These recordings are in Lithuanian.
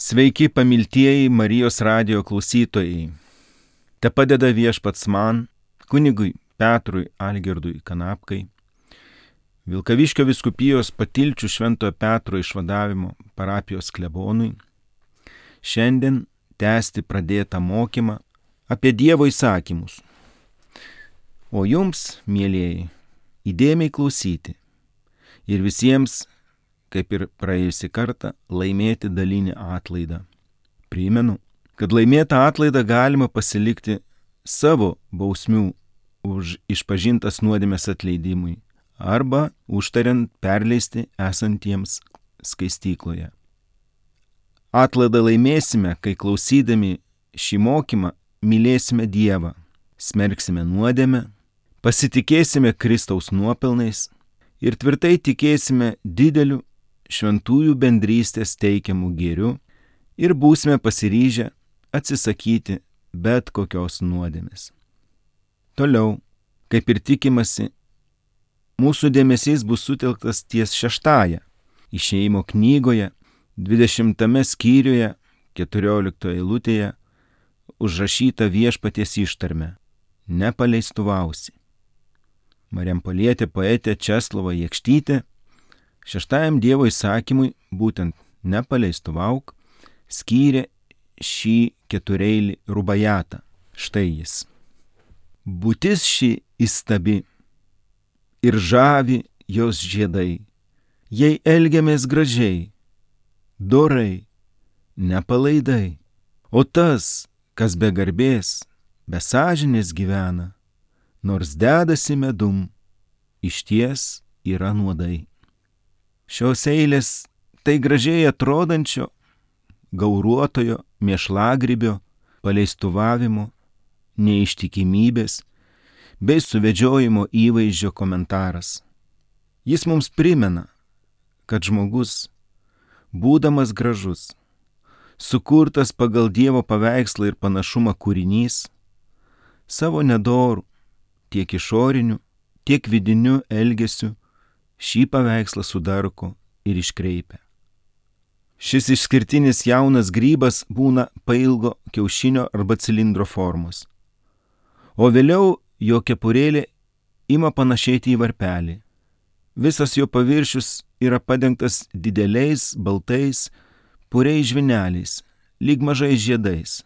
Sveiki, pamiltieji Marijos radijo klausytojai. Te padeda Viešpats man, kunigui Petrui Algirdui Kanapkai, Vilkaviškio vyskupijos Patilčių Šventojo Petro išvadavimo parapijos klebonui, šiandien tęsti pradėtą mokymą apie Dievo įsakymus. O jums, mielieji, įdėmiai klausyti ir visiems, kaip ir praėjusį kartą, laimėti dalinį atlaidą. Primenu, kad laimėtą atlaidą galima pasilikti savo bausmių už išpažintas nuodėmės atleidimui arba užtariant perleisti esantiems skaistykloje. Atlaidą laimėsime, kai klausydami šį mokymą mylėsime Dievą, smerksime nuodėmę, pasitikėsime Kristaus nuopelnais ir tvirtai tikėsime dideliu šventųjų bendrystės teikiamų gėrių ir būsime pasiryžę atsisakyti bet kokios nuodėmės. Toliau, kaip ir tikimasi, mūsų dėmesys bus sutelktas ties 6 Išėjimo knygoje, 20 skyriuje, 14 eilutėje užrašyta viešpaties ištarme: nepaleistuvausi. Marijampolietė poetė Česlova Jakštytė 6 Dievo įsakymui, būtent nepaleistuvauk, skyrė šį 4-eilį rubajatą. Štai jis. Būtis ši įstabi ir žavi jos žiedai, jei elgiamės gražiai, dorai, nepalaidai. O tas, kas be garbės, be sąžinės gyvena, nors dedasi medum, išties yra nuodai. Šios eilės tai gražiai atrodančio, gauruotojo, mėšlagrybio, paleistuvavimo, neištikimybės bei suvedžiojimo įvaizdžio komentaras. Jis mums primena, kad žmogus, būdamas gražus, sukurtas pagal Dievo paveikslą ir panašumą kūrinys, savo nedorų, tiek išoriniu, tiek vidiniu elgesiu šį paveikslą sudarko ir iškreipia. Šis išskirtinis jaunas grybas būna pailgo kiaušinio arba cilindro formos, o vėliau jo kepurėlė ima panašėti į varpelį. Visas jo paviršius yra padengtas dideliais, baltais, puriais žvyneliais, lyg mažais žiedais.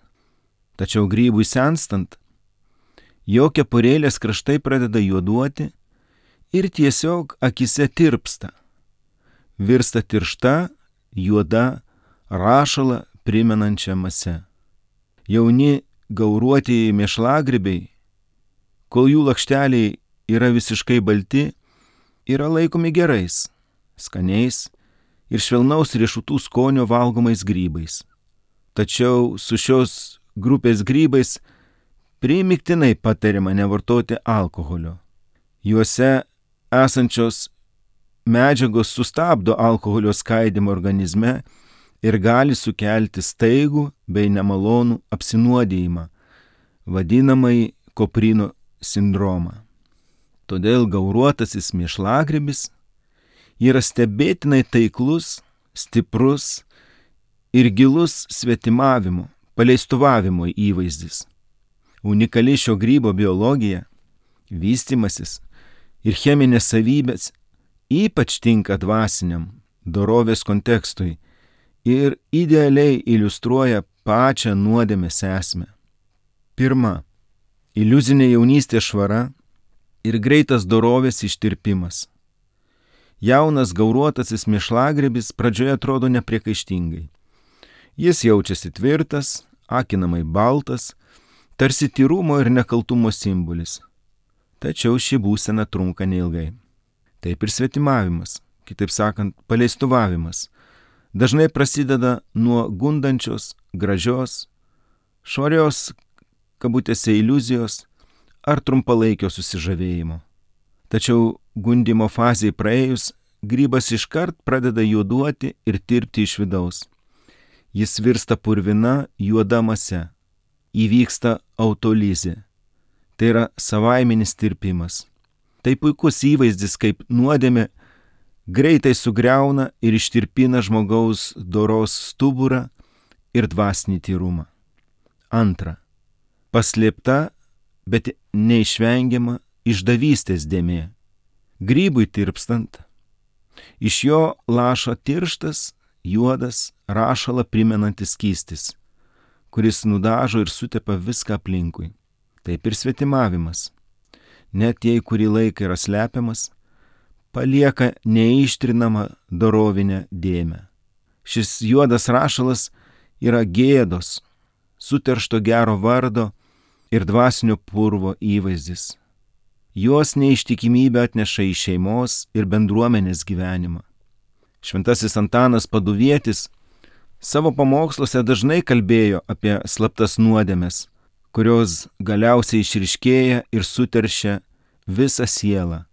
Tačiau grybui senstant, jo kepurėlės kraštai pradeda juoduoti ir tiesiog akise tirpsta, virsta tiršta, juoda, rašalą primenančia mase. Jauni gauruotieji mėšlagrybiai, kol jų lakšteliai yra visiškai balti, yra laikomi gerais, skaniais ir švelnaus riešutų skonio valgomais grybais. Tačiau su šios grupės grybais primygtinai patariama nevartoti alkoholio. Juose esančios medžiagos sustabdo alkoholio skaidymą organizme ir gali sukelti staigų bei nemalonų apsinuodijimą, vadinamąjį koprino sindromą. Todėl gauruotasis mėšlagrybis yra stebėtinai taiklus, stiprus ir gilus svetimavimo, paleistuvavimo įvaizdis. Unikali šio grybo biologija, vystymasis ir cheminės savybės ypač tinka dvasiniam, dorovės kontekstui ir idealiai iliustruoja pačią nuodėmės esmę. 1. Iliuzinė jaunystės švara ir greitas dorovės ištirpimas. Jaunas gauruotasis mėšlagrybis pradžioje atrodo nepriekaištingai. Jis jaučiasi tvirtas, akinamai baltas, tarsi tyrumo ir nekaltumo simbolis. Tačiau ši būsena trunka neilgai. Taip ir svetimavimas, kitaip sakant, paleistuvavimas, dažnai prasideda nuo gundančios, gražios, švarios, kabutėse iliuzijos ar trumpalaikio susižavėjimo. Tačiau gundimo fazei praėjus, grybas iškart pradeda juoduoti ir tirpti iš vidaus. Jis virsta purvina, juoda mase. Įvyksta autolizė. Tai yra savaiminis tirpimas. Tai puikus įvaizdis, kaip nuodėmė greitai sugriauna ir ištirpina žmogaus doros stuburą ir dvasinį tyrumą. Antra, paslėpta, bet neišvengiama išdavystės dėmė. Grybui tirpstant, iš jo laša tirštas, juodas, rašalą primenantis skystis, kuris nudažo ir sutepa viską aplinkui. Taip ir svetimavimas, net jei kurį laiką yra slepiamas, palieka neištrinamą dorovinę dėmę. Šis juodas rašalas yra gėdos, suteršto gero vardo ir dvasinio purvo įvaizdis. Jos neištikimybę atneša į šeimos ir bendruomenės gyvenimą. Šventasis Antanas Paduvietis savo pamoksluose dažnai kalbėjo apie slaptas nuodėmes, kurios galiausiai išryškėja ir suteršia visą sielą.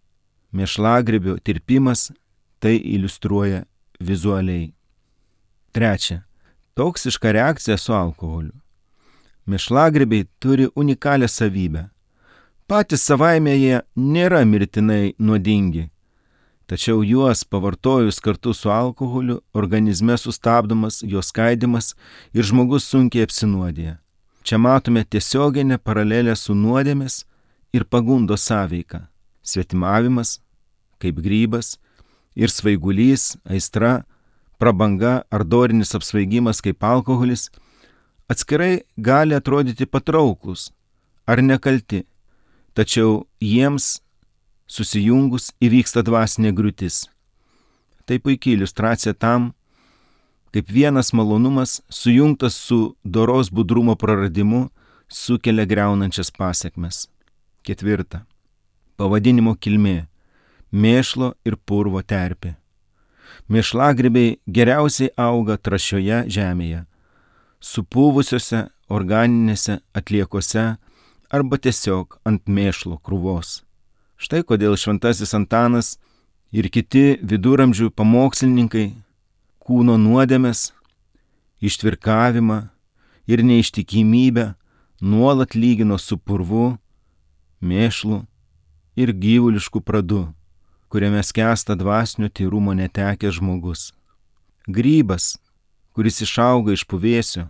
Mėšlagrybio tirpimas tai iliustruoja vizualiai. Trečia, toksiška reakcija su alkoholiu. Mėšlagrybiai turi unikalią savybę. Patys savaime jie nėra mirtinai nuodingi, tačiau juos pavartojus kartu su alkoholiu organizme sustabdomas jo skaidimas ir žmogus sunkiai apsinuodija. Čia matome tiesioginę paralelę su nuodėmės ir pagundos sąveika. Svetimavimas, kaip grybas, ir svaigulys, aistra, prabanga ar dorinis apsvaigimas kaip alkoholis atskirai gali atrodyti patrauklus ar nekalti, tačiau jiems susijungus įvyksta dvasinė griūtis. Tai puikiai iliustracija tam, kaip vienas malonumas sujungtas su doros budrumo praradimu sukelia griaunančias pasekmes. Ketvirta. Pavadinimo kilmė – mėšlo ir purvo terpė. Mėšlagrybiai geriausiai auga trąšioje žemėje, supuvusiose organinėse atliekose arba tiesiog ant mėšlo krūvos. Štai kodėl šventasis Antanas ir kiti viduramžių pamokslininkai kūno nuodėmes, ištvirkavimą ir neištikimybę nuolat lygino su purvu, mėšlu ir gyvulišku pradu, kuriame skęsta dvasinio tyrumo netekęs žmogus. Grybas, kuris išauga iš puvėsio,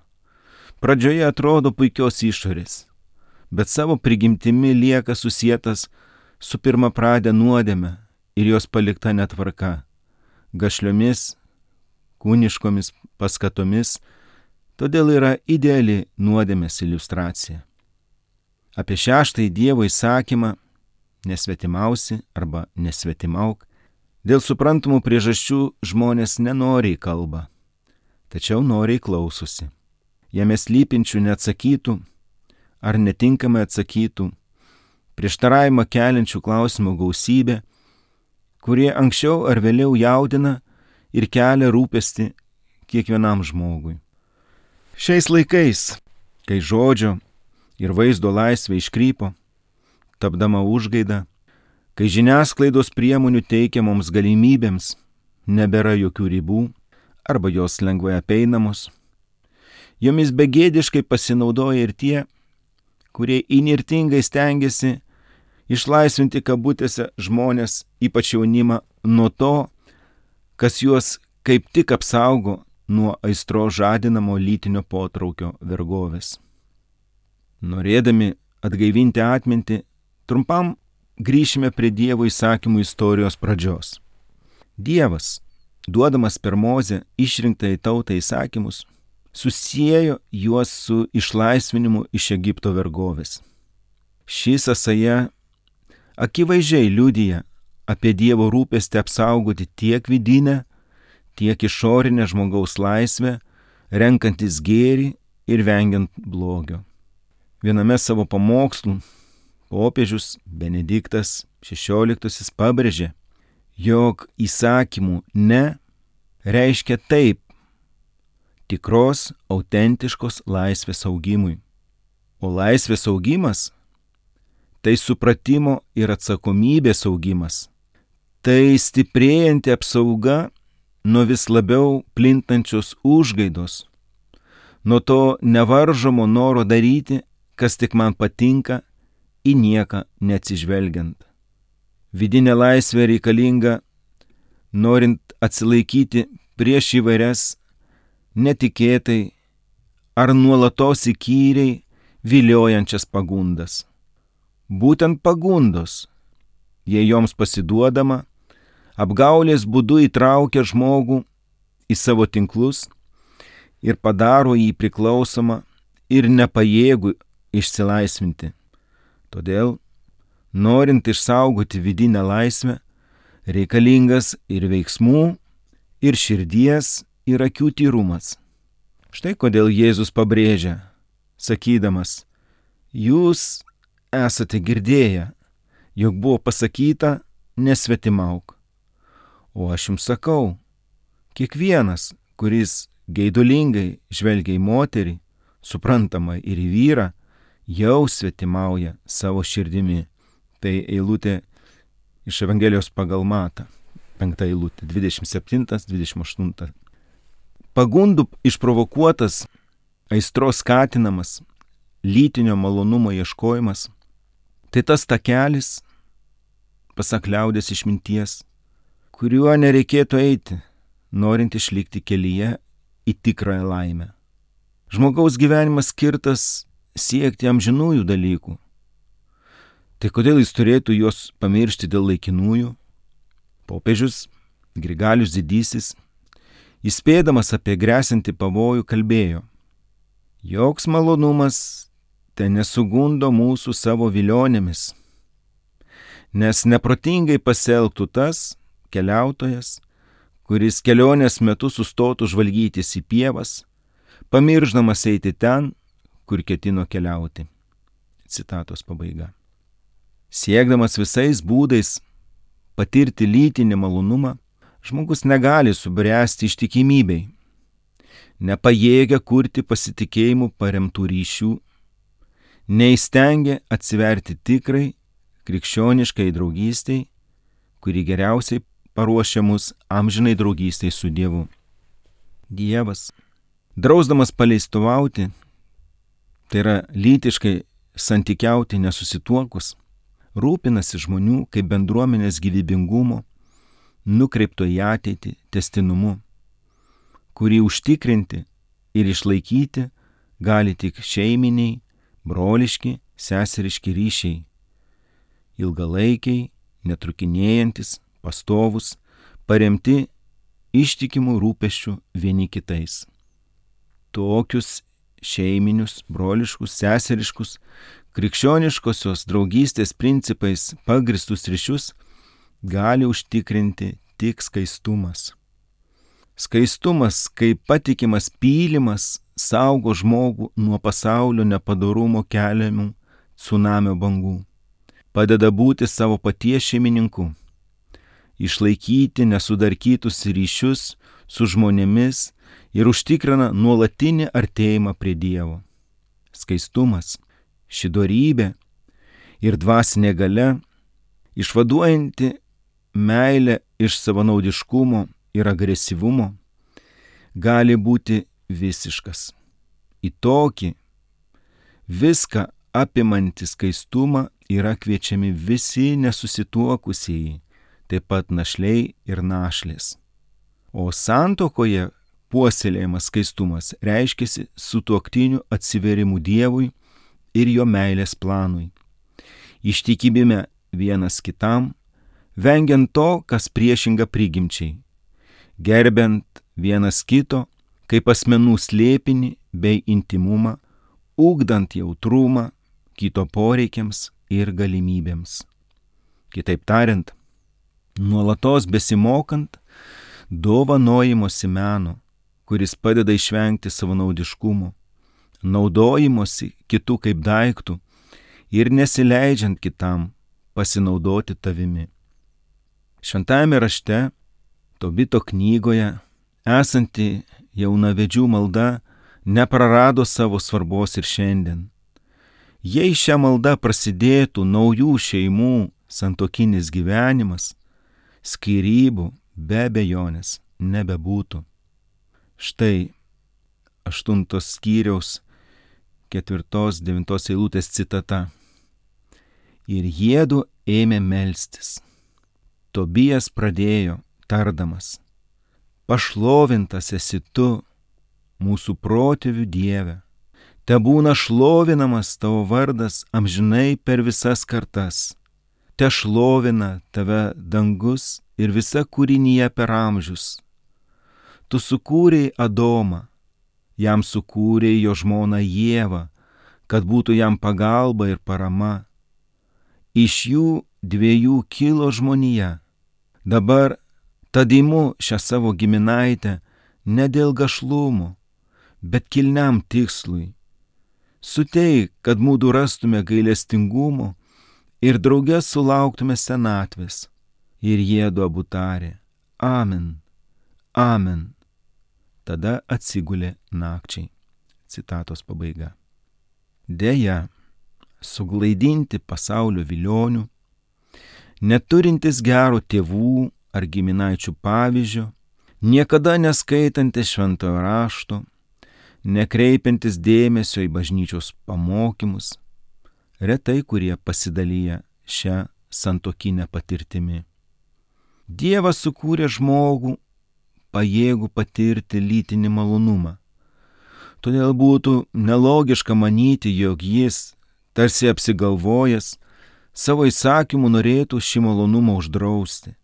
pradžioje atrodo puikios išorės, bet savo prigimtimi lieka susietas su pirmapradė nuodėme ir jos palikta netvarka, gašliomis, kūniškomis paskatomis, todėl yra ideali nuodėmės iliustracija. Apie šeštąjį Dievo įsakymą nesvetimausi arba nesvetimauk, dėl suprantamų priežasčių žmonės nenoriai kalba, tačiau noriai klausosi. Jame slypinčių neatsakytų ar netinkamai atsakytų, prieštaravimą keliančių klausimų gausybė, kurie anksčiau ar vėliau jaudina ir kelia rūpestį kiekvienam žmogui. Šiais laikais, kai žodžio ir vaizdo laisvė iškrypo, tapdama užgaida, kai žiniasklaidos priemonių teikiamoms galimybėms nebėra jokių ribų arba jos lengvai apeinamos, jomis begėdiškai pasinaudoja ir tie, kurie įnirtingai stengiasi išlaisvinti kabutėse žmonės, ypač jaunimą, nuo to, kas juos kaip tik apsaugo nuo aistro žadinamo lytinio potraukio vergovės. Norėdami atgaivinti atmintį, trumpam grįšime prie Dievo įsakymų istorijos pradžios. Dievas, duodamas per Mozę išrinktąjį tautą įsakymus, susiejo juos su išlaisvinimu iš Egipto vergovės. Ši sąsaja akivaizdžiai liudija apie Dievo rūpestį apsaugoti tiek vidinę, tiek išorinę žmogaus laisvę, renkantis gėrį ir vengiant blogio. Viename savo pamokslų popiežius Benediktas XVI pabrėžė, jog įsakymų ne reiškia taip tikros, autentiškos laisvės augimui. O laisvės augimas tai supratimo ir atsakomybės augimas. Tai stiprėjanti apsauga nuo vis labiau plintančios užgaidos, nuo to nevaržomo noro daryti, kas tik man patinka, į nieką neatsižvelgiant. Vidinė laisvė reikalinga, norint atsilaikyti prieš įvairias netikėtai ar nuolatos įkyriai viliojančias pagundas. Būtent pagundos, jei joms pasiduodama, apgaulės būdu įtraukia žmogų į savo tinklus ir padaro jį priklausomą ir nepajėgų išsilaisvinti. Todėl, norint išsaugoti vidinę laisvę, reikalingas ir veiksmų, ir širdies, ir akių tyrumas. Štai kodėl Jėzus pabrėžia, sakydamas, jūs esate girdėję, jog buvo pasakyta, nesvetimauk. O aš jums sakau, kiekvienas, kuris geidulingai žvelgia į moterį, suprantama ir į vyrą, jau svetimauja savo širdimi. Tai eilutė iš Evangelijos pagal Matą, 5 eilutė, 27-28. Pagundų išprovokuotas, aistros skatinamas, lytinio malonumo ieškojimas, tai tas takelis, pasak liaudės išminties, kuriuo nereikėtų eiti, norint išlikti kelyje į tikrąją laimę. Žmogaus gyvenimas skirtas siekti amžinųjų dalykų. Tai kodėl jis turėtų juos pamiršti dėl laikinųjų? Popiežius Grigalius Didysis, įspėdamas apie gresiantį pavojų, kalbėjo, joks malonumas te nesugundo mūsų savo vilionėmis, nes neprotingai pasielgtų tas keliautojas, kuris kelionės metu sustotų žvalgytis į pievas, pamirždamas eiti ten, kur ketino keliauti. Citatos pabaiga. Siekdamas visais būdais patirti lytinį malonumą, žmogus negali subręsti ištikimybei, nepajėgia kurti pasitikėjimų paremtų ryšių, neįstengia atsiverti tikrai krikščioniškai draugystei, kuri geriausiai paruošia mus amžinai draugystei su Dievu. Dievas, drausdamas paleistuvauti, tai yra lytiškai santykiauti nesusituokus, rūpinasi žmonių kaip bendruomenės gyvybingumo, nukreipto į ateitį tęstinumu, kurį užtikrinti ir išlaikyti gali tik šeiminiai, broliški, seseriški ryšiai, ilgalaikiai, netrukinėjantis, pastovus, paremti ištikimų rūpesčių vieni kitais. Tokius šeiminius, broliškus, seseriškus, krikščioniškosios draugystės principais pagristus ryšius gali užtikrinti tik skaistumas. Skaistumas, kaip patikimas pylimas, saugo žmogų nuo pasaulio nepadorumo keliamų tsunamio bangų, padeda būti savo paties šeimininku, išlaikyti nesudarkytus ryšius su žmonėmis ir užtikrina nuolatinį artėjimą prie Dievo. Skaistumas, ši dorybė ir dvasinė galia, išvaduojanti meilę iš savanaudiškumo ir agresyvumo, gali būti visiškas. Į tokį viską apimantį skaistumą yra kviečiami visi nesusituokusieji, taip pat našliai ir našlės. O santuokoje puoselėjamas skaistumas reiškiasi sutuoktinių atsiverimu Dievui ir jo meilės planui, ištikimybę vienas kitam, vengiant to, kas priešinga prigimčiai, gerbiant vienas kito kaip asmenų slėpinį bei intimumą, ugdant jautrumą kito poreikiams ir galimybėms. Kitaip tariant, nuolatos besimokant dovanojimosi meno, kuris padeda išvengti savanaudiškumo, naudojimosi kitų kaip daiktų ir nesileidžiant kitam pasinaudoti tavimi. Šventajame rašte, Tobito knygoje, esanti jaunavedžių malda neprarado savo svarbos ir šiandien. Jei šią maldą prasidėtų naujų šeimų santuokinis gyvenimas, skyrybų be abejonės nebebūtų. Štai 8 skyriaus 4-9 eilutės citata. Ir jiedu ėmė melstis. Tobijas pradėjo, tardamas, pašlovintas esi tu, mūsų protėvių Dieve. Te būna šlovinamas tavo vardas amžinai per visas kartas. Te šlovina tave dangus ir visa kūrinyje per amžius. Tu sukūrei Adomą, jam sukūrei jo žmoną Ievą, kad būtų jam pagalba ir parama. Iš jų dviejų kilo žmonija. Dabar tad imu šią savo giminaitę ne dėl gašlumo, bet kilniam tikslui. Suteik, kad mūdu rastume gailestingumo ir drauge sulauktume senatvės. Ir jiedu abu tarė, Amen, Amen. Tada atsigulė nakčiai. Citatos pabaiga. Deja, suglaidinti pasaulio vilionių, neturintis gero tėvų ar giminaičių pavyzdžio, niekada neskaitantis šventojo rašto, nekreipiantis dėmesio į bažnyčios pamokymus, retai kurie pasidalyja šią santuokinę patirtimi. Dievas sukūrė žmogų pajėgų patirti lytinį malonumą. Todėl būtų nelogiška manyti, jog jis, tarsi apsigalvojęs, savo įsakymu norėtų šį malonumą uždrausti.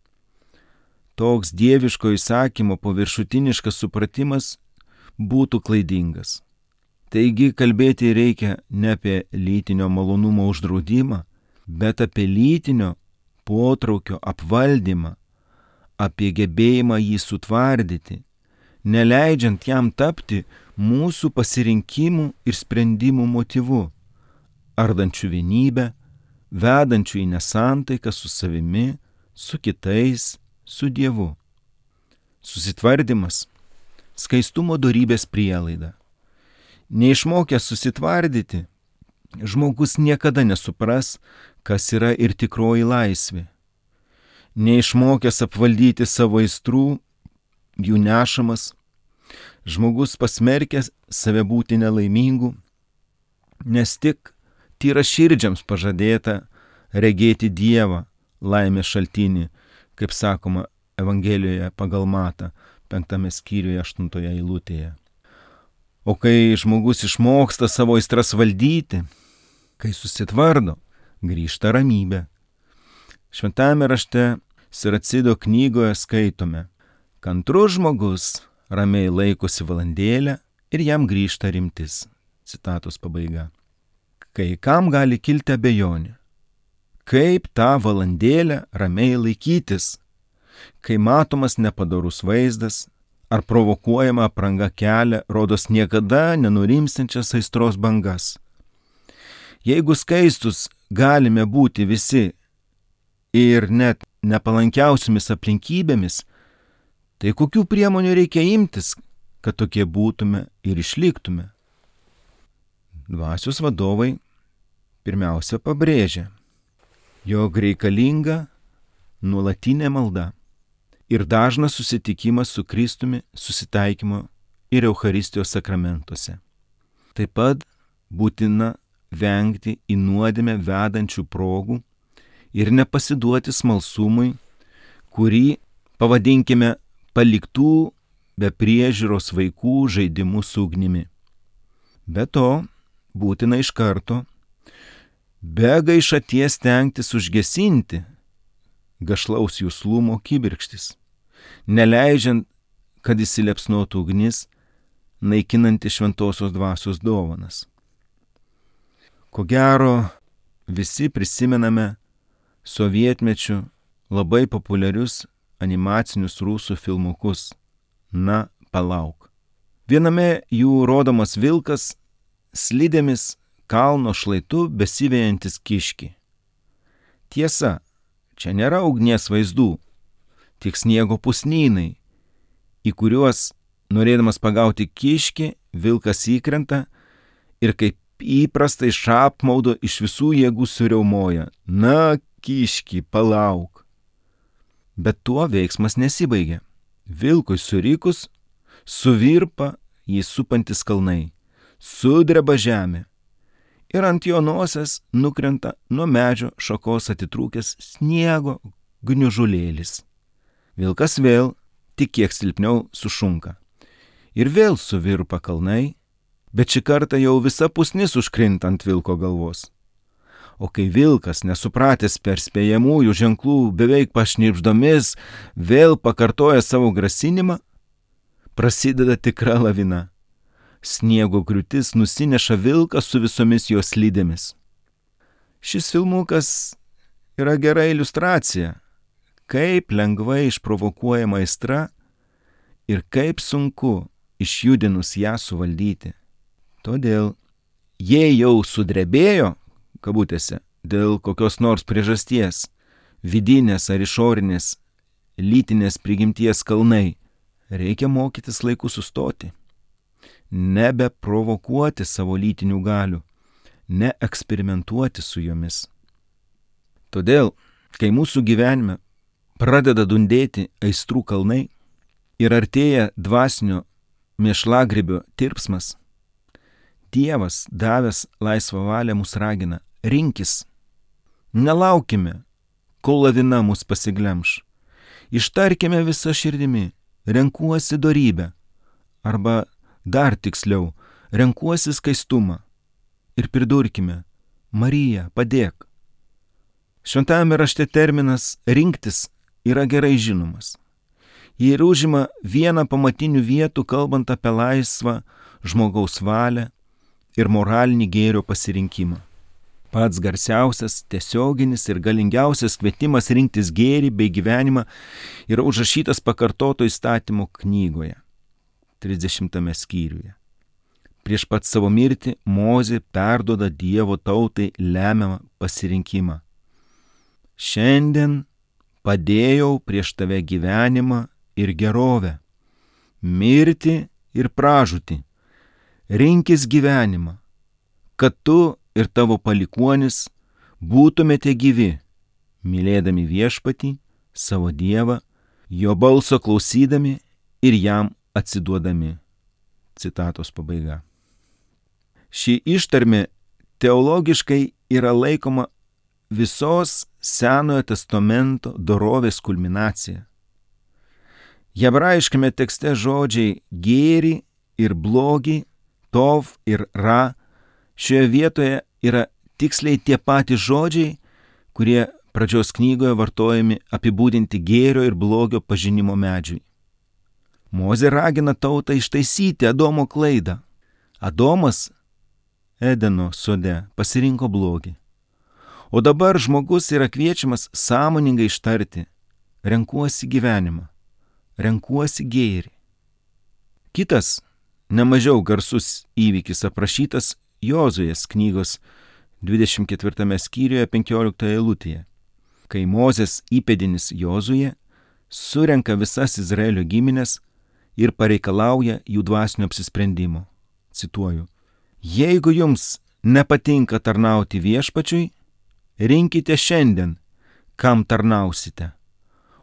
Toks dieviško įsakymo paviršutiniškas supratimas būtų klaidingas. Taigi kalbėti reikia ne apie lytinio malonumo uždraudimą, bet apie lytinio potraukio apvaldymą, apie gebėjimą jį sutvardyti, neleidžiant jam tapti mūsų pasirinkimų ir sprendimų motyvu, ardančių vienybę, vedančių į nesantaiką su savimi, su kitais, su Dievu. Susitvardymas – skaistumo dorybės prielaida. Neišmokęs susitvardyti, žmogus niekada nesupras, kas yra ir tikroji laisvė. Neišmokęs apvaldyti savo aistrų, jų nešamas, žmogus pasmerkęs save būti nelaimingu, nes tik tyraširdžiams pažadėta regėti Dievą, laimės šaltinį, kaip sakoma Evangelijoje pagal Matą, 5 skyriuje 8 eilutėje. O kai žmogus išmoksta savo aistras valdyti, kai susitvardo, grįžta ramybė. Šventajame rašte Siracido knygoje skaitome, kantrus žmogus ramiai laikosi valandėlę ir jam grįžta rimtis. Citatos pabaiga. Kai kam gali kilti abejonė, kaip tą valandėlę ramiai laikytis, kai matomas nepadorus vaizdas ar provokuojama apranga kelia, rodos niekada nenurimstančias aistros bangas. Jeigu skaistus galime būti visi ir net nepalankiausiamis aplinkybėmis, tai kokių priemonių reikia imtis, kad tokie būtume ir išliktume? Dvasios vadovai pirmiausia pabrėžia, jog reikalinga nuolatinė malda ir dažnas susitikimas su Kristumi susitaikymo ir Eucharistijos sakramentuose. Taip pat būtina vengti į nuodėmę vedančių progų ir nepasiduoti smalsumui, kurį pavadinkime paliktų be priežiūros vaikų žaidimų su ugnimi. Be to, būtina iš karto, be gaišaties stengtis užgesinti gašlaus juslumo kibirkštis, neleidžiant, kad įsiliepsnotų ugnis, naikinanti šventosios dvasios dovanas. Ko gero, visi prisimename sovietmečiu labai populiarius animacinius rusų filmukus Na, palauk. Viename jų rodomas vilkas slidėmis kalno šlaitu besivejantis kiškį. Tiesa, čia nėra ugnies vaizdų, tik sniego pusnynai, į kuriuos, norėdamas pagauti kiškį, vilkas įkrenta ir kaip įprastai iš apmaudo iš visų jėgų suriaumoja, na, kiški, palauk. Bet tuo veiksmas nesibaigia. Vilkui surikus, suvirpa jį supantis kalnai, sudreba žemė ir ant jo nosies nukrenta nuo medžio šakos atitrūkęs sniego gniužulėlis. Vilkas vėl tik kiek silpniau sušunka Ir vėl suvirpa kalnai, bet šį kartą jau visa pusnis užkrinta ant vilko galvos. O kai vilkas, nesupratęs perspėjamųjų ženklų, beveik pašnibždomis, vėl pakartoja savo grasinimą, prasideda tikra lavina. Sniego griūtis nusineša vilką su visomis jos slidėmis. Šis filmukas yra gera iliustracija, kaip lengvai išprovokuojama aistra ir kaip sunku išjudinus ją suvaldyti. Todėl, jei jau sudrebėjo, kabutėse, dėl kokios nors priežasties, vidinės ar išorinės lytinės prigimties kalnai, reikia mokytis laiku sustoti, nebeprovokuoti savo lytinių galių, neeksperimentuoti su jomis. Todėl, kai mūsų gyvenime pradeda dundėti aistrų kalnai ir artėja dvasinio mėšlagrybio tirpsmas, Dievas, davęs laisvą valią, mus ragina: rinkis. Nelaukime, kol lavina mus pasiglemš. Ištarkime visą širdimi: renkuosi dorybę, arba dar tiksliau, renkuosi skaistumą. Ir pridurkime: Marija, padėk. Šventajame rašte terminas rinktis yra gerai žinomas. Jie ir užima vieną pamatinių vietų, kalbant apie laisvą žmogaus valią ir moralinį gėrio pasirinkimą. Pats garsiausias, tiesioginis ir galingiausias kvietimas rinktis gėrį bei gyvenimą yra užrašytas pakartoto įstatymo knygoje, 30 skyriuje. Prieš pat savo mirtį Mozė perduoda Dievo tautai lemiamą pasirinkimą. Šiandien padėjau prieš tave gyvenimą ir gerovę, mirtį ir pražūtį. Rinkis gyvenimą, kad tu ir tavo palikuonis būtumėte gyvi, mylėdami viešpatį, savo Dievą, jo balso klausydami ir jam atsiduodami. Citatos pabaiga. Ši ištarmė teologiškai yra laikoma visos Senojo testamento dorovės kulminacija. Hebrajiškame tekste žodžiai gėrį ir blogį, tov ir ra, šioje vietoje yra tiksliai tie patys žodžiai, kurie pradžios knygoje vartojami apibūdinti gėrio ir blogio pažinimo medžiui. Mozė ragina tautą ištaisyti Adomo klaidą. Adomas Edeno sode pasirinko blogį. O dabar žmogus yra kviečiamas sąmoningai ištarti: renkuosi gyvenimą, renkuosi gėrį. Kitas, nemažiau garsus įvykis aprašytas Jozuės knygos 24 skyriuje 15 eilutėje, kai Mozės įpėdinis Jozuė surenka visas Izraelio giminės ir pareikalauja jų dvasinio apsisprendimo. Cituoju: jeigu jums nepatinka tarnauti viešpačiui, rinkite šiandien, kam tarnausite,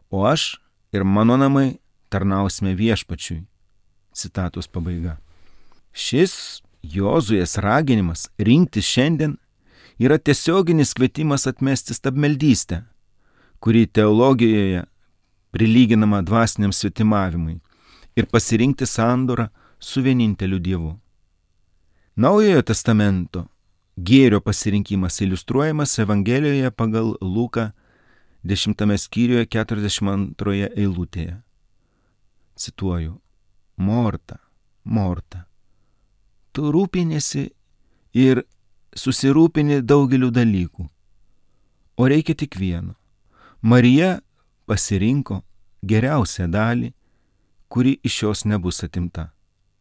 o aš ir mano namai tarnausime viešpačiui. Citatos pabaiga. Šis Jozuės raginimas rinktis šiandien yra tiesioginis kvietimas atmesti stabmeldystę, kuri teologijoje prilyginama dvasiniam svetimavimui, ir pasirinkti sandorą su vieninteliu Dievu. Naujojo testamento gėrio pasirinkimas iliustruojamas Evangelijoje pagal Luką 10 skyriuje 42 eilutėje. Cituoju: Morta, Morta, tu rūpiniesi ir susirūpini daugeliu dalykų, o reikia tik vieno. Marija pasirinko geriausią dalį, kuri iš jos nebus atimta.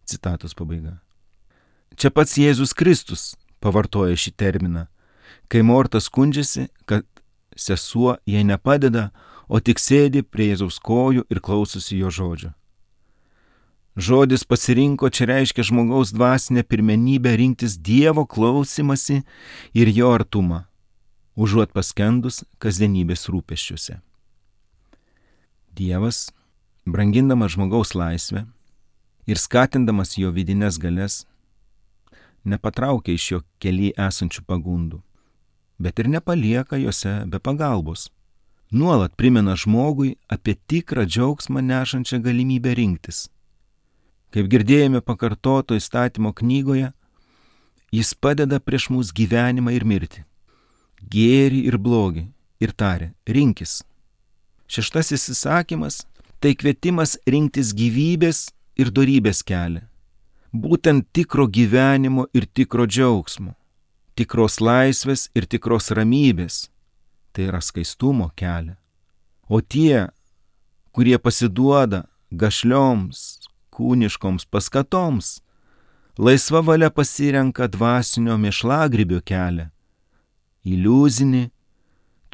Citatos pabaiga. Čia pats Jėzus Kristus pavartoja šį terminą, kai Morta skundžiasi, kad sesuo jai nepadeda, o tik sėdi prie Jėzaus kojų ir klausosi jo žodžio. Žodis pasirinko čia reiškia žmogaus dvasinę pirmenybę rinktis Dievo klausimasi ir jo artumą, užuot paskendus kasdienybės rūpesčiuose. Dievas, brangindamas žmogaus laisvę ir skatindamas jo vidinės galias, nepatraukia iš jo kely esančių pagundų, bet ir nepalieka jose be pagalbos. Nuolat primena žmogui apie tikrą džiaugsmą nešančią galimybę rinktis. Kaip girdėjome pakartoto įstatymo knygoje, jis padeda prieš mūsų gyvenimą ir mirtį, gėrį ir blogį ir taria, rinkis. 6 įsakymas – tai kvietimas rinktis gyvybės ir dorybės kelią. Būtent tikro gyvenimo ir tikro džiaugsmo, tikros laisvės ir tikros ramybės, tai yra skaistumo kelią. O tie, kurie pasiduoda gašlioms, kūniškoms paskatoms, laisva valia pasirenka dvasinio mėšlagrybio kelią, iliuzinį,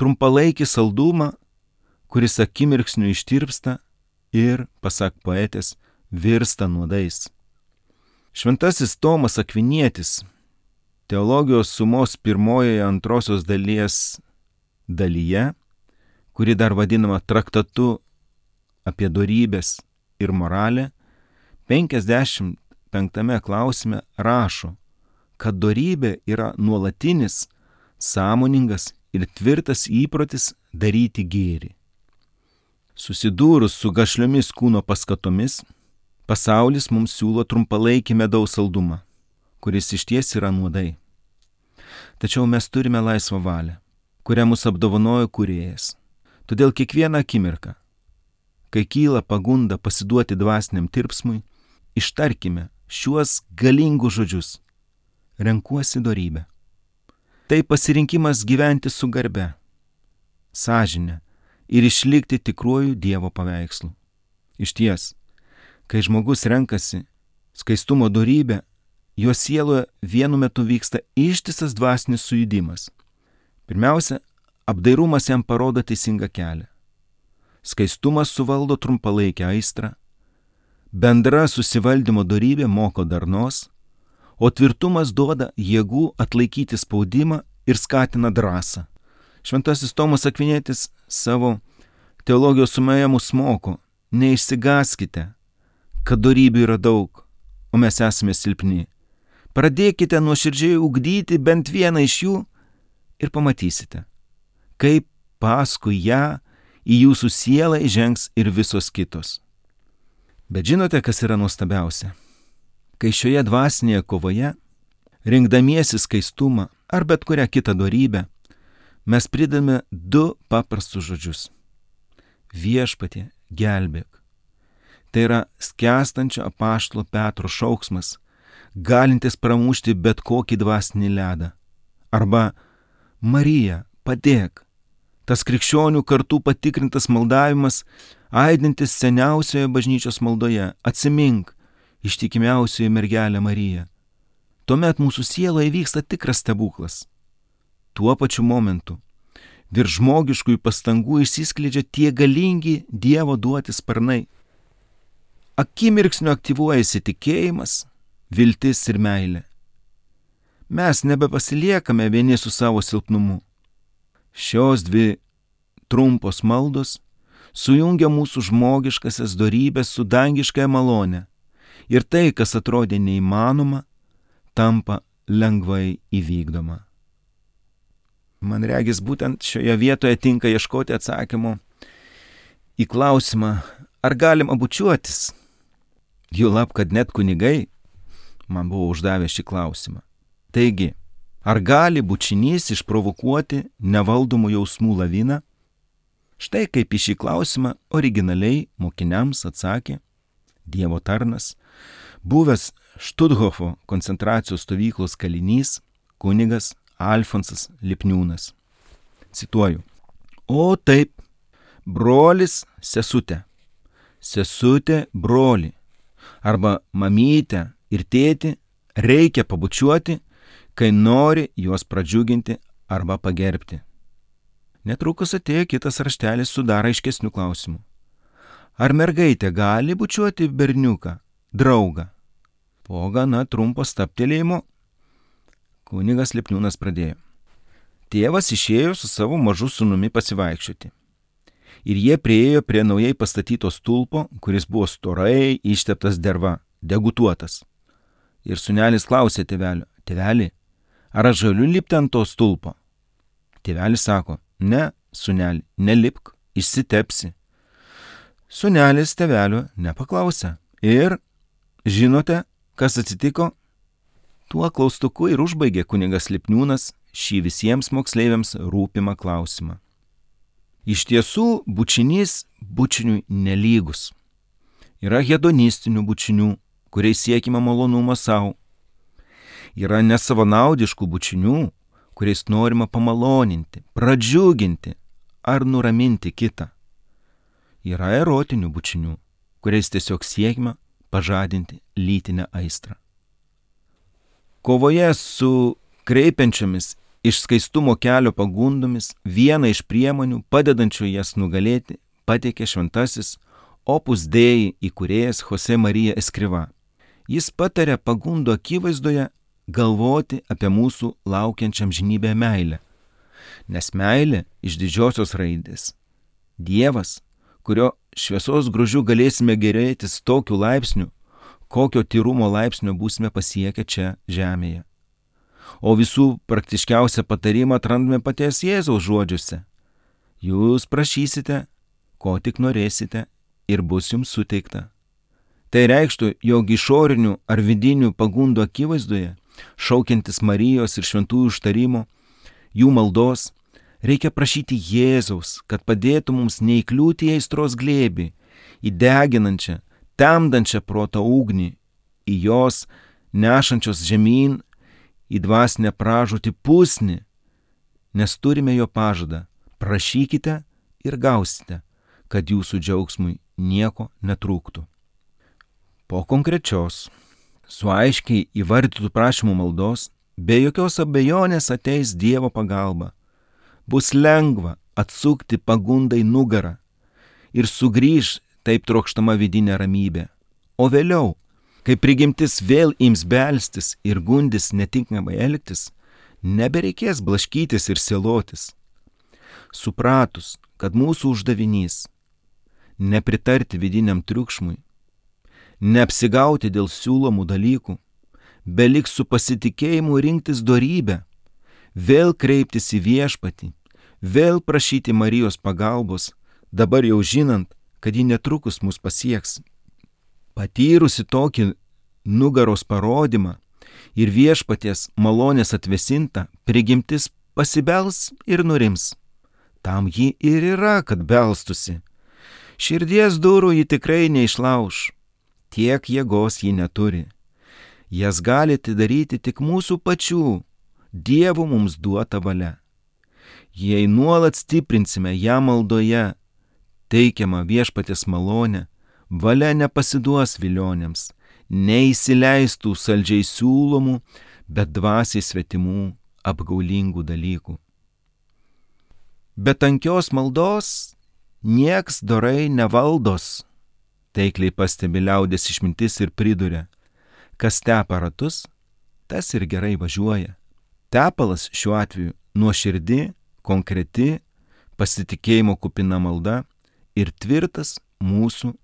trumpalaikį saldumą, kuris akimirksniu ištirpsta ir, pasak poetės, virsta nuodais. Šventasis Tomas Akvinietis teologijos sumos 1-2 dalyje, kuri dar vadinama traktatu apie dorybės ir moralę, 55 klausime rašo, kad dorybė yra nuolatinis, sąmoningas ir tvirtas įprotis daryti gėrį. Susidūrus su gašliomis kūno paskatomis, pasaulis mums siūlo trumpalaikį medaus saldumą, kuris išties yra nuodai. Tačiau mes turime laisvą valią, kurią mus apdovanojo Kūrėjas. Todėl kiekvieną akimirką, kai kyla pagunda pasiduoti dvasiniam tirpsmui, ištarkime šiuos galingus žodžius: renkuosi dorybę. Tai pasirinkimas gyventi su garbe, sąžine ir išlikti tikruoju Dievo paveikslu. Išties, kai žmogus renkasi skaistumo dorybę, jo sieloje vienu metu vyksta ištisas dvasinis sujudimas. Pirmiausia, apdairumas jam parodo teisingą kelią. Skaistumas suvaldo trumpalaikę aistrą, bendra susivaldymo dorybė moko darnos, o tvirtumas duoda jėgų atlaikyti spaudimą ir skatina drąsą. Šventasis Tomas Akvinietis savo teologijos sumoje mus moko: neišsigąskite, kad dorybių yra daug, o mes esame silpni. Pradėkite nuoširdžiai ugdyti bent vieną iš jų ir pamatysite, kaip paskui ją į jūsų sielą įžengs ir visos kitos. Bet žinote, kas yra nuostabiausia? Kai šioje dvasinėje kovoje, rinkdamiesi skaistumą ar bet kurią kitą dorybę, mes pridame 2 paprastus žodžius: Viešpatie, gelbėk. Tai yra skęstančio apaštalo Petro šauksmas, galintis pramušti bet kokį dvasinį ledą. Arba Marija, padėk. Tas krikščionių kartų patikrintas maldavimas, aidintis seniausioje bažnyčios maldoje: atsimink, ištikimiausioji mergelė Marija. Tuomet mūsų sieloje vyksta tikras stebuklas. Tuo pačiu momentu virš žmogiškųjų pastangų išsiskleidžia tie galingi Dievo duoti sparnai. Akimirksniu aktyvuojasi tikėjimas, viltis ir meilė. Mes nebepasiliekame vieni su savo silpnumu. Šios 2 trumpos maldos sujungia mūsų žmogiškasias dorybės su dangiškąja malone, ir tai, kas atrodė neįmanoma, tampa lengvai įvykdoma. Man regis, būtent šioje vietoje tinka ieškoti atsakymo į klausimą, ar galima bučiuotis. Juolab, kad net kunigai man buvo uždavę šį klausimą. Taigi, ar gali bučinys išprovokuoti nevaldomų jausmų laviną? Štai kaip į šį klausimą originaliai mokiniams atsakė Dievo tarnas, buvęs Štuthofo koncentracijos stovyklos kalinys kunigas Alfonsas Lipniūnas. Cituoju: O taip, brolis sesutė, sesutė brolį, arba mamytę ir tėtį reikia pabučiuoti, kai nori juos pradžiuginti arba pagerbti. Netrukus atėjo kitas raštelis su dar aiškesniu klausimu: ar mergaitė gali bučiuoti berniuką, draugą? Po gana trumpo stabtelėjimo kunigas Lipniūnas pradėjo: tėvas išėjo su savo mažu sūnumi pasivaikščioti. Ir jie priėjo prie naujai pastatyto stulpo, kuris buvo storai išteptas derva, degutuotas. Ir sūnelis klausė tėvelio: tėveli, ar aš galiu lipti ant to stulpo? Tėvelis sako: ne, sūneli, nelipk, išsitepsi. Sūnelis tėvelio nepaklausė ir Žinote, kas atsitiko? Tuo klaustuku ir užbaigė kunigas Lipniūnas šį visiems moksleiviams rūpimą klausimą. Iš tiesų, bučinys bučiniui nelygus. Yra hedonistinių bučinių, kuriais siekima malonumo savo. Yra nesavanaudiškų bučinių, kuriais norima pamaloninti, pradžiuginti ar nuraminti kitą. Yra erotinių bučinių, kuriais tiesiog siekima pažadinti lytinę aistrą. Kovoje su kreipiančiomis iš skaistumo kelio pagundomis vieną iš priemonių padedančių jas nugalėti pateikė šventasis Opus Dei įkūrėjas Jose Marija Escrivá. Jis patarė pagundų akivaizdoje galvoti apie mūsų laukiančiam žinybę meilę. Nes meilė iš didžiosios raidės. Dievas, kurio šviesos grožiu galėsime gerėtis tokiu laipsniu, kokio tyrumo laipsnio būsime pasiekę čia žemėje. O visų praktiškiausią patarimą atrandame paties Jėzaus žodžiuose. Jūs prašysite, ko tik norėsite, ir bus jums suteikta. Tai reikštų, jog išorinių ar vidinių pagundų akivaizdoje, šaukiantis Marijos ir šventųjų užtarimo, jų maldos, reikia prašyti Jėzaus, kad padėtų mums neįkliūti į aistros glėbį, į deginančią, temdančią proto ugnį, į jos nešančios žemyn, į dvasinę pražūtį pusnį, nes turime jo pažadą, prašykite ir gausite, kad jūsų džiaugsmui nieko netrūktų. Po konkrečios, su aiškiai įvardytų prašymų maldos, be jokios abejonės ateis Dievo pagalba. Bus lengva atsukti pagundai nugarą ir sugrįž taip trokštama vidinė ramybė. O vėliau, kai prigimtis vėl ims belstis ir gundis netinkamai elgtis, nebereikės blaškytis ir sielotis. Supratus, kad mūsų uždavinys nepritarti vidiniam triukšmui, neapsigauti dėl siūlomų dalykų, beliks su pasitikėjimu rinktis dorybę, vėl kreiptis į Viešpatį, vėl prašyti Marijos pagalbos, dabar jau žinant, kad ji netrukus mus pasieks. Patyrusi tokį nugaros parodymą ir Viešpaties malonės atvėsinta, prigimtis pasibels ir nurims. Tam ji ir yra, kad belstusi. Širdies durų ji tikrai neišlauš, tiek jėgos ji neturi. Jas gali atidaryti tik mūsų pačių, Dievo mums duota valia. Jei nuolat stiprinsime ją maldoje, teikiamą Viešpaties malonę, valia nepasiduos vilionėms, neįsileistų saldžiai siūlomų, bet dvasiai svetimų apgaulingų dalykų. Be tankios maldos nieks dorai nevaldos, taikliai pastebi liaudės išmintis ir priduria, kas tepa ratus, tas ir gerai važiuoja. Tepalas šiuo atveju nuoširdi, konkreti, pasitikėjimo kupina malda ir tvirtas mūsų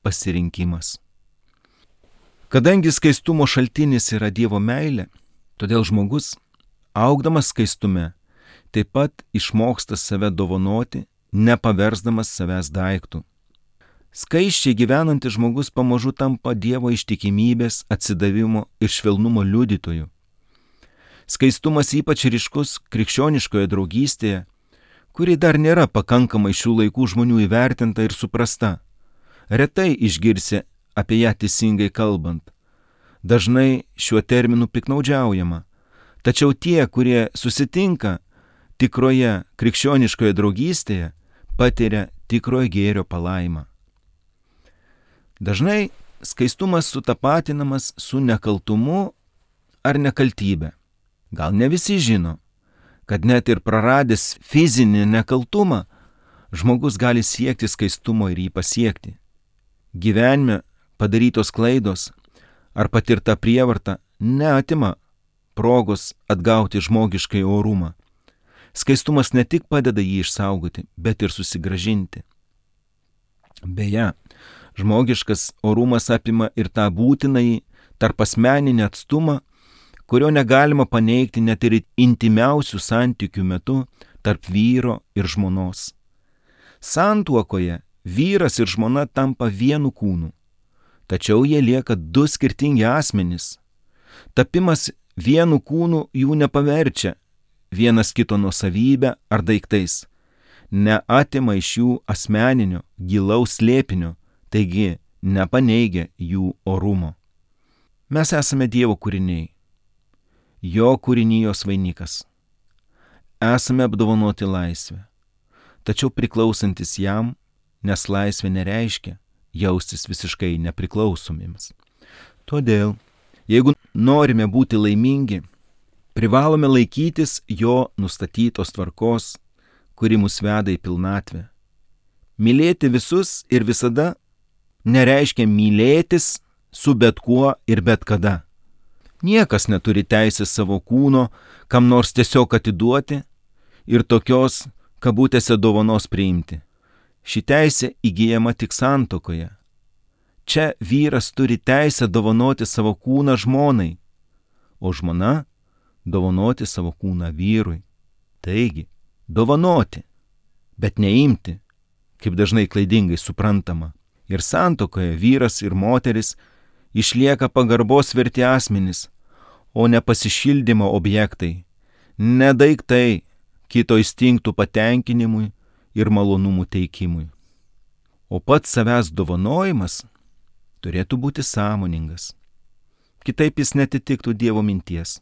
pasirinkimas. Kadangi skaistumo šaltinis yra Dievo meilė, todėl žmogus, augdamas skaistume, taip pat išmoksta save dovanoti, nepaversdamas savęs daiktų. Skaisčiai gyvenantis žmogus pamažu tampa Dievo ištikimybės, atsidavimo ir švelnumo liudytoju. Skaistumas ypač ryškus krikščioniškoje draugystėje, kuri dar nėra pakankamai šių laikų žmonių įvertinta ir suprasta. Retai išgirsi apie ją teisingai kalbant. Dažnai šiuo terminu piknaudžiaujama. Tačiau tie, kurie susitinka tikroje krikščioniškoje draugystėje, patiria tikrojo gėrio palaimą. Dažnai skaistumas sutapatinamas su nekaltumu ar nekaltybe. Gal ne visi žino, kad net ir praradęs fizinį nekaltumą, žmogus gali siekti skaistumo ir jį pasiekti. Gyvenime padarytos klaidos ar patirta prievarta neatima progos atgauti žmogiškai orumą. Skaistumas ne tik padeda jį išsaugoti, bet ir susigrąžinti. Beje, žmogiškas orumas apima ir tą būtinąjį tarpasmeninį atstumą, kurio negalima paneigti net ir intimiausių santykių metu tarp vyro ir žmonos. Santuokoje vyras ir žmona tampa vienu kūnu. tačiau jie lieka du skirtingi asmenys. Tapimas vienu kūnu jų nepaverčia vienas kito nuosavybę ar daiktais, neatima iš jų asmeninio, gilaus slėpinio, taigi nepaneigia jų orumo. Mes esame Dievo kūriniai, jo kūrinijos vainikas. Esame apdovanoti laisvę, tačiau priklausantis jam, nes laisvė nereiškia jaustis visiškai nepriklausomiems. Todėl, jeigu norime būti laimingi, privalome laikytis jo nustatytos tvarkos, kuri mus veda į pilnatvę. Mylėti visus ir visada nereiškia mylėtis su bet kuo ir bet kada. Niekas neturi teisės savo kūno kam nors tiesiog atiduoti ir tokios, kabutėse, dovanos priimti. Ši teisė įgyjama tik santuokoje. Čia vyras turi teisę dovanoti savo kūną žmonai, o žmona dovanoti savo kūną vyrui. Taigi, dovanoti, bet neimti, kaip dažnai klaidingai suprantama. Ir santuokoje vyras ir moteris išlieka pagarbos verti asmenys, o ne pasišildymo objektai, ne daiktai kito instinktų patenkinimui ir malonumų teikimui. O pats savęs dovanojimas turėtų būti sąmoningas. Kitaip jis netitiktų Dievo minties.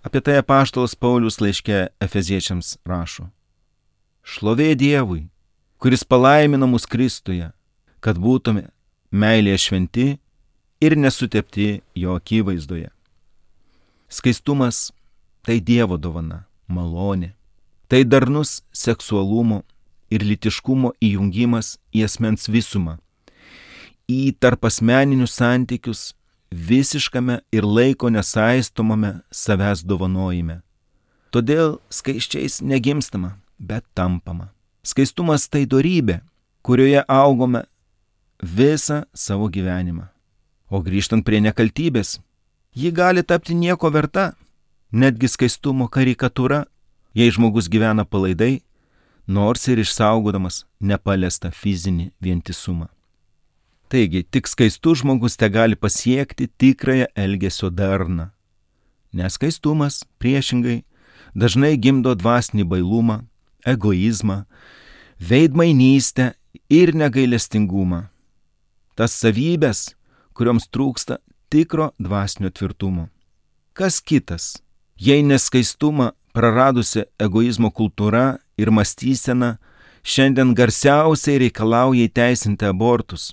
Apie tai apaštalas Paulius laiške Efeziečiams rašo: Šlovė Dievui, kuris palaimino mus Kristuje, kad būtume meilėje šventi ir nesutepti jo akivaizdoje. Skaistumas tai Dievo dovana, malonė. Tai darnus seksualumo ir lytiškumo įjungimas į asmens visumą, į tarpasmeninius santykius visiškame ir laiko nesaistomame savęs dovanojime. Todėl skaisčiais negimstama, bet tampama. Skaistumas tai dorybė, kurioje augome visą savo gyvenimą. O grįžtant prie nekaltybės, ji gali tapti nieko verta, netgi skaistumo karikatūra, jei žmogus gyvena palaidai, nors ir išsaugodamas nepaliestą fizinį vientisumą. Taigi, tik skaistus žmogus te gali pasiekti tikrąją elgesio darną. Nes skaistumas, priešingai, dažnai gimdo dvasinį bailumą, egoizmą, veidmainystę ir negailestingumą. Tas savybės, kurioms trūksta tikro dvasinio tvirtumo. Kas kitas, jei neskaistumą praradusi egoizmo kultūra ir mąstysena šiandien garsiausiai reikalauja įteisinti abortus.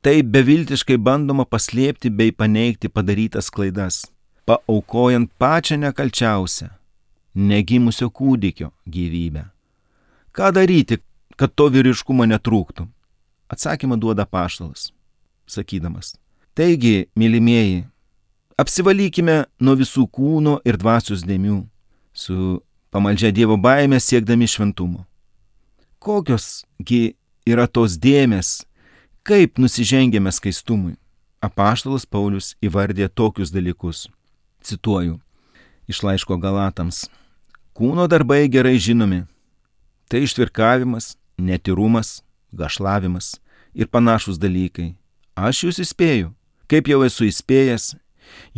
Taip beviltiškai bandoma paslėpti bei paneigti padarytas klaidas, paaukojant pačią nekalčiausią, negimusio kūdikio gyvybę. Ką daryti, kad to vyriškumo netrūktų? Atsakymą duoda apaštalas, sakydamas: Taigi, mylimieji, apsivalykime nuo visų kūno ir dvasios dėmių, su pamaldžia Dievo baime siekdami šventumo. Kokiosgi yra tos dėmės, kaip nusižengėme skaistumui? Apaštalas Paulius įvardė tokius dalykus. Cituoju iš laiško Galatams: Kūno darbai gerai žinomi. Tai ištvirkavimas, netyrumas, gašlavimas ir panašus dalykai. Aš jūs įspėju, kaip jau esu įspėjęs,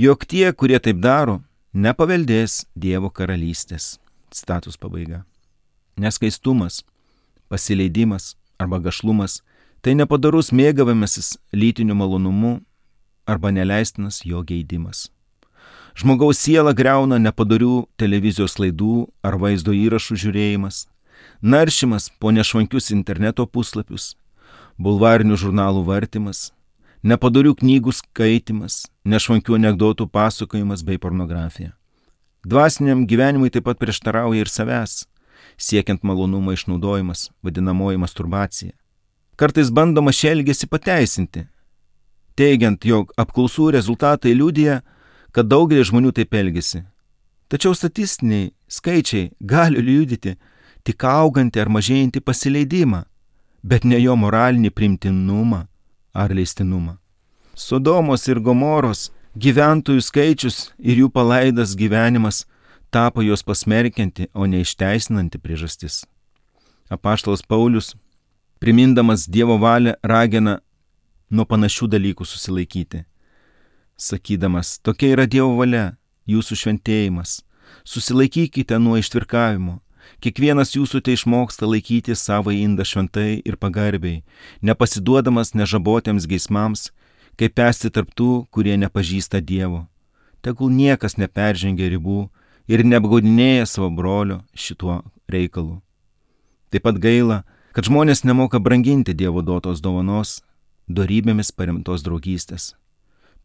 jog tie, kurie taip daro, nepaveldės Dievo karalystės. Citatos pabaiga. Neskaistumas, pasileidimas arba gašlumas tai nepadarus mėgavimasis lytiniu malonumu arba neleistinas jo geidimas. Žmogaus sielą griauna nepadorių televizijos laidų ar vaizdo įrašų žiūrėjimas, naršymas po nešvankius interneto puslapius, bulvarinių žurnalų vartymas, nepadorių knygų skaitimas, nešvankių anekdotų pasakojimas bei pornografija. Dvasiniam gyvenimui taip pat prieštarauja ir savęs, siekiant malonumo išnaudojimas, vadinamoji masturbacija. Kartais bandoma šį elgesį pateisinti, teigiant, jog apklausų rezultatai liudija, kad daugelis žmonių taip elgiasi. Tačiau statistiniai skaičiai gali liudyti tik augantį ar mažėjantį pasileidimą, bet ne jo moralinį priimtinumą ar leistinumą. Sodomos ir Gomoros gyventojų skaičius ir jų palaidas gyvenimas tapo jos pasmerkianti, o ne išteisinanti priežastis. Apaštalas Paulius, primindamas Dievo valią, ragina nuo panašių dalykų susilaikyti, sakydamas, tokia yra Dievo valia, jūsų šventėjimas, susilaikykite nuo ištvirkavimo, kiekvienas jūsų tai išmoksta laikyti savo indą šventai ir pagarbiai, nepasiduodamas nežabotiems geismams, kaip esti tarp tų, kurie nepažįsta Dievo. Tegul niekas neperžengia ribų ir neapgaudinėja savo brolio šituo reikalu. Taip pat gaila, kad žmonės nemoka branginti Dievo duotos dovanos, dorybėmis paremtos draugystės.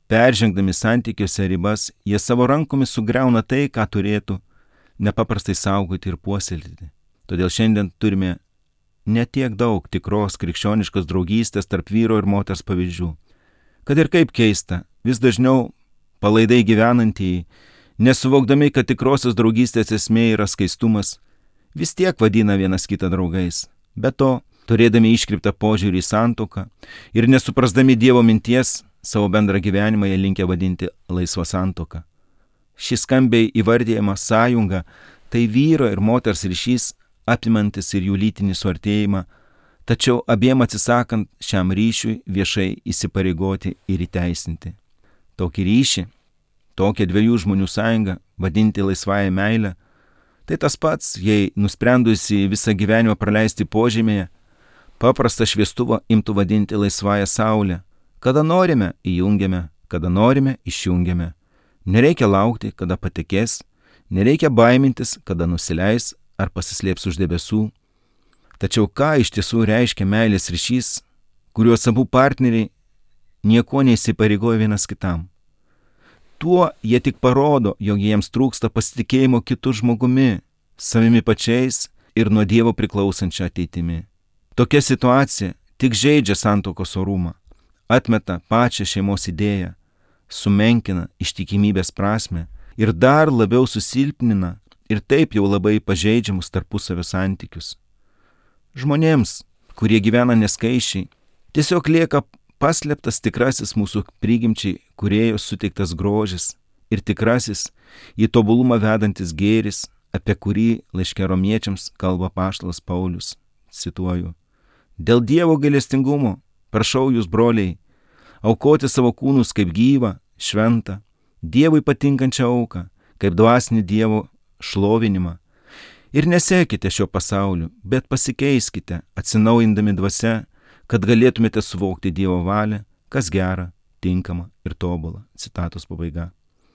Peržengdami santykiuose ribas, jie savo rankomis sugriauna tai, ką turėtų nepaprastai saugoti ir puoselėti. Todėl šiandien turime ne tiek daug tikros krikščioniškos draugystės tarp vyro ir moters pavyzdžių. Kad ir kaip keista, vis dažniau palaidai gyvenantieji, nesuvokdami, kad tikrosios draugystės esmė yra skaistumas, vis tiek vadina vienas kitą draugais. Be to, turėdami iškreiptą požiūrį į santuoką ir nesuprasdami Dievo minties, savo bendrą gyvenimą jie linkę vadinti laisvą santuoką. Ši skambiai įvardijama sąjunga tai vyro ir moters ryšys, apimantis ir jų lytinį suartėjimą, tačiau abiem atsisakant šiam ryšiui viešai įsipareigoti ir įteisinti. Tokį ryšį, tokią dviejų žmonių sąjungą vadinti laisvąją meilę, tai tas pats, jei nusprendusi visą gyvenimą praleisti požemėje, paprastą šviestuvą imtų vadinti laisvąją saulę. Kada norime įjungiame, kada norime išjungiame. Nereikia laukti, kada patekės, nereikia baimintis, kada nusileis ar pasislėps už debesų. Tačiau ką iš tiesų reiškia meilės ryšys, kuriuos abu partneriai nieko neįsipareigoja vienas kitam? Tuo jie tik parodo, jog jiems trūksta pasitikėjimo kitu žmogumi, savimi pačiais ir nuo Dievo priklausančia ateitimi. Tokia situacija tik žeidžia santuokos orumą, atmeta pačią šeimos idėją, sumenkina ištikimybės prasmę ir dar labiau susilpnina ir taip jau labai pažeidžiamus tarpusavio santykius. Žmonėms, kurie gyvena neskaičiai, tiesiog lieka paslėptas tikrasis mūsų prigimčiai kūrėjo suteiktas grožis ir tikrasis į tobulumą vedantis gėris, apie kurį laiške Romiečiams kalba apaštalas Paulius. Cituoju: Dėl Dievo gailestingumo prašau jūs, broliai, aukoti savo kūnus kaip gyvą, šventą, Dievui patinkančią auką, kaip dvasinį Dievo šlovinimą. Ir nesekite šio pasauliu, bet pasikeiskite, atsinaujindami dvasia, kad galėtumėte suvokti Dievo valią, kas gera, tinkama ir tobula. Citatos pabaiga.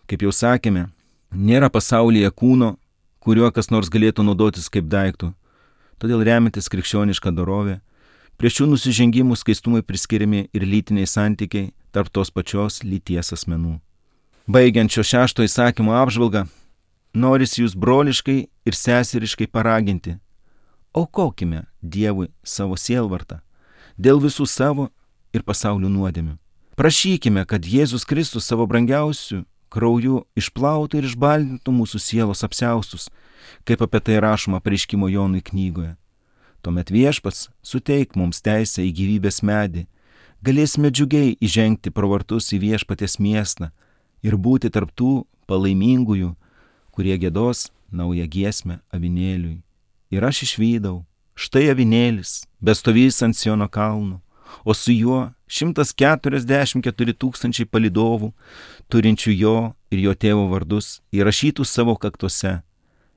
Kaip jau sakėme, nėra pasaulyje kūno, kuriuo kas nors galėtų naudotis kaip daiktų. Todėl remiantis krikščionišką dorovę, prie šių nusižengimų skaistumui priskiriami ir lytiniai santykiai tarp tos pačios lyties asmenų. Baigiant šio 6 įsakymo apžvalgą, norisi jūs broliškai ir seseriškai paraginti: aukokime Dievui savo sielvartą dėl visų savo ir pasaulio nuodėmių. Prašykime, kad Jėzus Kristus savo brangiausių krauju išplautų ir išbaldintų mūsų sielos apsiaustus, kaip apie tai rašoma Apreiškimo Jonui knygoje. Tuomet Viešpats suteik mums teisę į gyvybės medį, galėsime džiugiai įžengti pro vartus į Viešpaties miestą ir būti tarp tų palaimingųjų, kurie giedos naują giesmę avinėliui. Ir aš išvydau, štai avinėlis, bestovys ant Siono kalno, o su juo 144 000 palydovų, turinčių jo ir jo tėvo vardus, įrašytus savo kaktuose.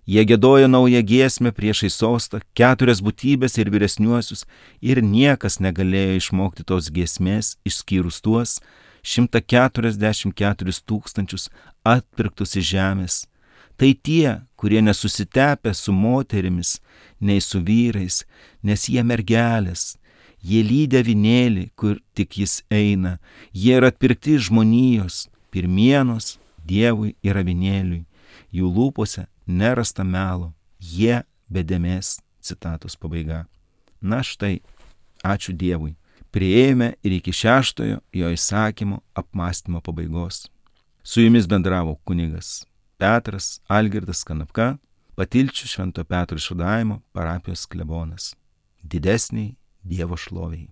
Jie giedojo naują giesmę priešais sostą, 4 būtybės ir vyresniuosius, ir niekas negalėjo išmokti tos giesmės, išskyrus tuos 144 000 atpirktus iš žemės. Tai tie, kurie nesusitepę su moterimis, nei su vyrais, nes jie mergelės, jie lydi avinėlį, kur tik jis eina, jie yra atpirkti žmonijos, pirmienos Dievui ir avinėliui, jų lūpose nerasta melo, jie be dėmės. Citatos pabaiga. Na štai, ačiū Dievui, priėjome ir iki 6 jo įsakymo apmąstymo pabaigos. Su jumis bendravo kunigas Petras Algirdas Kanapka, Patilčių Švento Petro išvadavimo parapijos klebonas. Didesniai Dievo šloviai.